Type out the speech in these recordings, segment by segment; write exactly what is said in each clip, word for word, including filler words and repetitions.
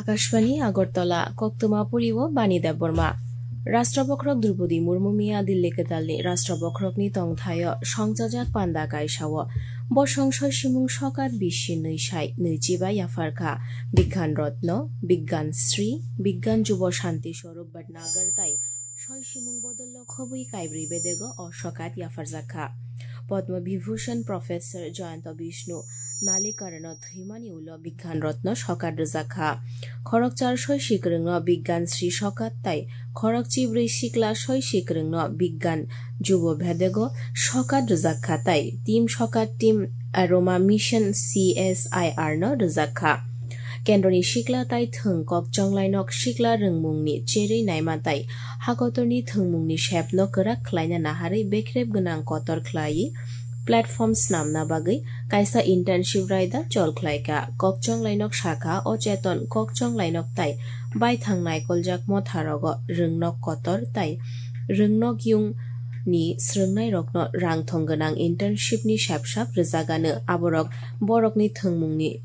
Akashvani Agartala, koktwma puri o Bani Debbarma. Rashtra Bokhorok Droupadi Murmu miya Delhi kwtalni Rashtra Bokhorokni tongthaio songchajak panda kaisao bosong soisimung sokat bisi nwi sai nwichi bai yapharkha. Bigyan Ratna, Bigyan Shri, Bigyan Jubo Shanti Swarup Bhatnagar tai soisimung bodolno khobwi kaibrwi bedego o sokat yapharjakha. Padma Vibhushan Professor Jayanta Vishnu Nalikarno thwimani ulo Bigyan Ratna sokat rwjakha. Khorokchar soisi kwrwngno Bigyan Shri sokat tai khorokchibrwi sikla soisi kwrwngno Bigyan Jubo bedego sokat rwjakha tai team sokat team Aroma Mission C S I R no rwjakha. Kendroni sikla tai thwng kok chonglainok sikla rwngmungni cherwi naima tai hakotorni thwngmungni sepno kwrak khlaina naharwi bekrep gwnang kotor khlaiwi platform snamna bagwi kaisa internship raida chol khlaikha. Kok chonglainok sakha, o cheton kok chonglainok tai baithang naikoljak motharogo rwngnok kotor tai rwngnok yung ni swrwngnairokno rangthong gwnang internship ni sepsap rwjagano. Aborok borokni thwngmungni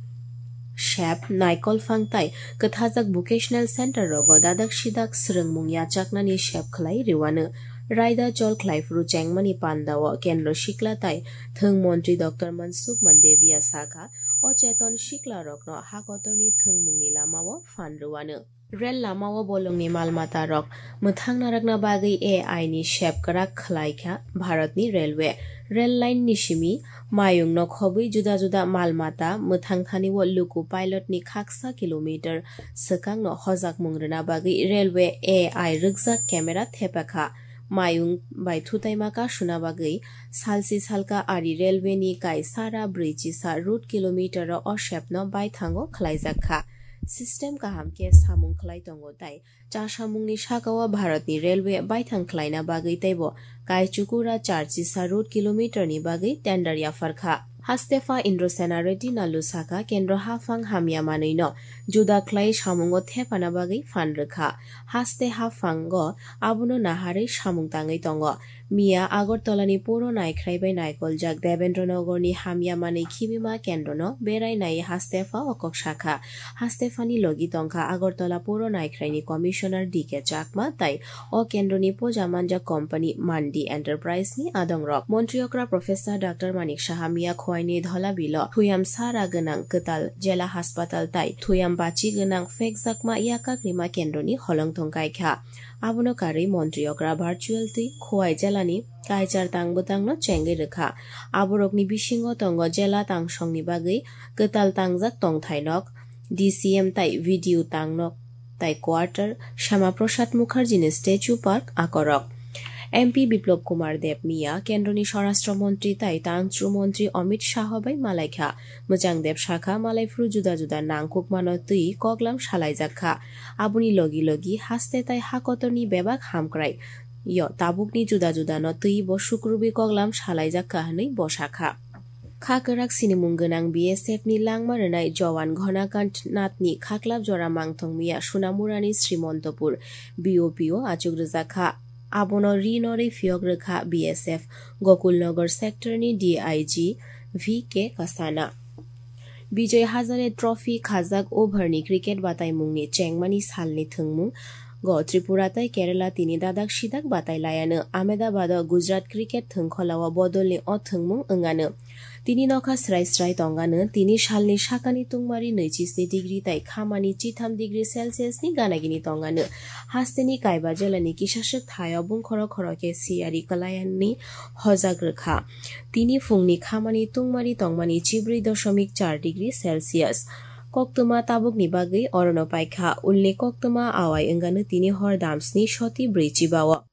sep, naikol phang tai kwthajak vocational center rogo dadak sidak swrwngmung yachaknani sep khlai rwano. Raida chol khlai phuru chengmani pandao kendro sikla tai thwng montri Doctor Mansukh Mandaviya sakha, o cheton sikla rokno hakotorni thwngmungni lamao phan rwano. Rel lamao bolongni mal mata rok mwthang narwkna bagwi A I ni sep kwrak khlai kha Bharatni Railway. Rel line ni simi mayungno khobwi juda juda mal mata mwthang thani o luku pilot ni khaksa kilometer swkangno hojakmung rwna bagwi Railway A I rwkjak camera thepa kha. Mayung bai thutaima kasuna bagwi salsi salka ari railway ni kai sara brwi chisa route kilometer o o sepno baithango khlaijak kha. System kaham khe samung khlai tongo tai chasamungni sakao Bharatni railway baithang khlaina bagwi teibo kaichukura char chisa route kilometer ni bagwi tender yapharkha. Hastepha Indrasena Reddy Nallu sakha, kendro haphang hamya manwino juda khlai samungo thepana bagwi phan rwkha. Haste haphango abono naharwi samung tangwi tongo. Miya Agartalani poro naikhrai bai naikoljak Debendra Nagarni hamya manwi khibima kendrono berai nai Hastepha o kok sakha. Hastephani logi tongkha Agartala poro naikhraini Commissioner D K Chakma tai o kendroni poja manjak company Mandi Enterprise ni adongrok. Montri okra Professor Doctor Manik Saha miya Khowai ni Dholabilo thuyam sara gwnang kwtal jela haspatal tai thuyam bachi gwnang phekjakma yakak rima kendroni holongthong kaikha. Abono karwi montri okra virtual twi Khowai jelani kaichar tang bwtangno chengwi rwkha. Aborokni bisingo tongo jela tangsongni bagwi kwtal tangjak tongthainok, D C M tai video tangnok tai quarter, Shama Prasad Mukherjee ni statue park akorok. M P Biplab Kumar Deb miya kendroni Swarashtra Montri tai Tangchru Montri Amit Shah bai malaikha. Mwchang Deb sakha, malaiphuru juda juda nangkukmano twi koklam salaijak kha. Aboni logi logi haste tai hakotorni bebak hamkrai yo tabukni juda judano twi bo sukrubwi koklam salaijak kha hwnwi bo sakha. Kha kwrak sinimung gwnang B S F ni langma rwnai Jowan Ghanakant Nathni khaklap jora mangthong miya Sunamurani Srimontopur B O P o achuk rwjak kha. Abono ri norwi phiyok rwkha B S F Gokulnagar sector ni D I G V K Kasana. Bijoy Hazare Trophy khajak over ni cricket bataimungni chengmani salni thwngmung go Tripura tai Kerala tini dadak sidak batai laiano. Ahmedabad o Gujarat cricket thwngkholao bodolni o thwngmung wngano. Tini nokha srai srai tongano, tini salni sakani tungmari nwichi sni degree tai khamani chitham degree Celsius ni gana gini tongano. Hasteni kaiba jelani kisaswk thaio bungkhoro khoro khe siyari kwlaiani hojak rwkha. Tini phungni khamani tungmari tongmani chibrwi doshomik char degree Celsius. Koktwma tabukni bagwi orono paikha. Ulni koktwma awai wngano tini hor damsni soti brwi chibao.